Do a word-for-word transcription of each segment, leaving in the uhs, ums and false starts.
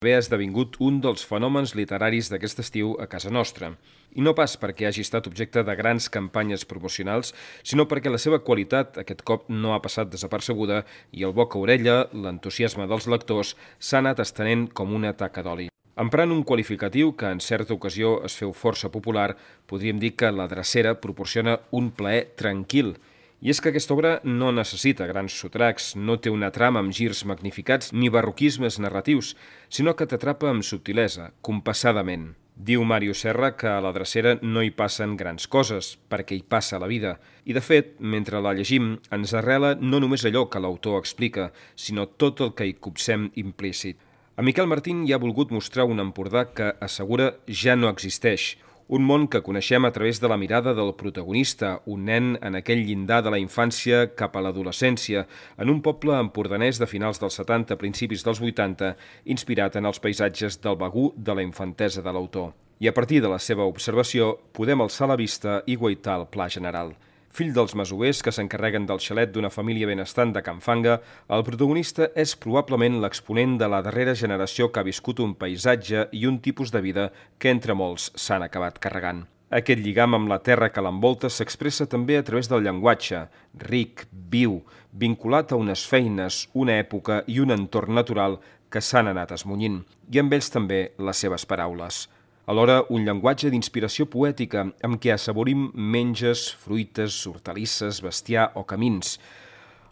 Haver esdevingut un dels fenòmens literaris d'aquest estiu a casa nostra. I no pas perquè hagi estat objecte de grans campanyes promocionals, sinó perquè la seva qualitat aquest cop no ha passat desapercebuda i el boca a orella, l'entusiasme dels lectors, s'ha anat estenent com una taca d'oli. Emprant un qualificatiu que en certa ocasió es feu força popular, podríem dir que La drecera proporciona un plaer tranquil. I és que aquesta obra no necessita grans sotracs, no té una trama amb girs magnificats ni barroquismes narratius, sinó que t'atrapa amb subtilesa, compassadament. Diu Màrius Serra que a La drecera no hi passen grans coses, perquè hi passa la vida. I de fet, mentre la llegim, ens arrela no només allò que l'autor explica, sinó tot el que hi copsem implícit. En Miquel Martín hi ha volgut mostrar un Empordà que assegura ja no existeix, un món que coneixem a través de la mirada del protagonista, un nen en aquell llindar de la infància cap a l'adolescència, en un poble empordanès de finals dels setanta, principis dels vuitanta, inspirat en els paisatges del Begur de la infantesa de l'autor. I a partir de la seva observació, podem alçar la vista i guaitar el pla general. Fill dels masovers que s'encarreguen del xalet d'una família benestant de Can Fanga, el protagonista és probablement l'exponent de la darrera generació que ha viscut un paisatge i un tipus de vida que entre molts s'han acabat carregant. Aquest lligam amb la terra que l'envolta s'expressa també a través del llenguatge, ric, viu, vinculat a unes feines, una època i un entorn natural que s'han anat esmunyint, i amb ells també les seves paraules. Alhora, un llenguatge d'inspiració poètica amb què assaborim menges, fruites, hortalisses, bestiar o camins.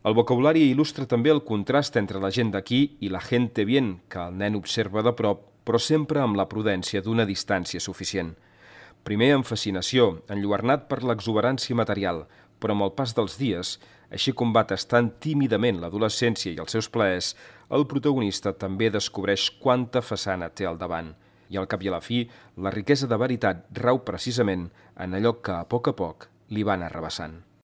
El vocabulari il·lustra també el contrast entre la gent d'aquí i la gente bien, que el nen observa de prop, però sempre amb la prudència d'una distància suficient. Primer amb fascinació, enlluernat per l'exuberància material, però amb el pas dels dies, així com va tastant tímidament l'adolescència i els seus plaers, el protagonista també descobreix quanta façana té al davant. I al cap i a la fi, la riquesa de veritat rau precisament en allò que a poc a poc li van arrabassant.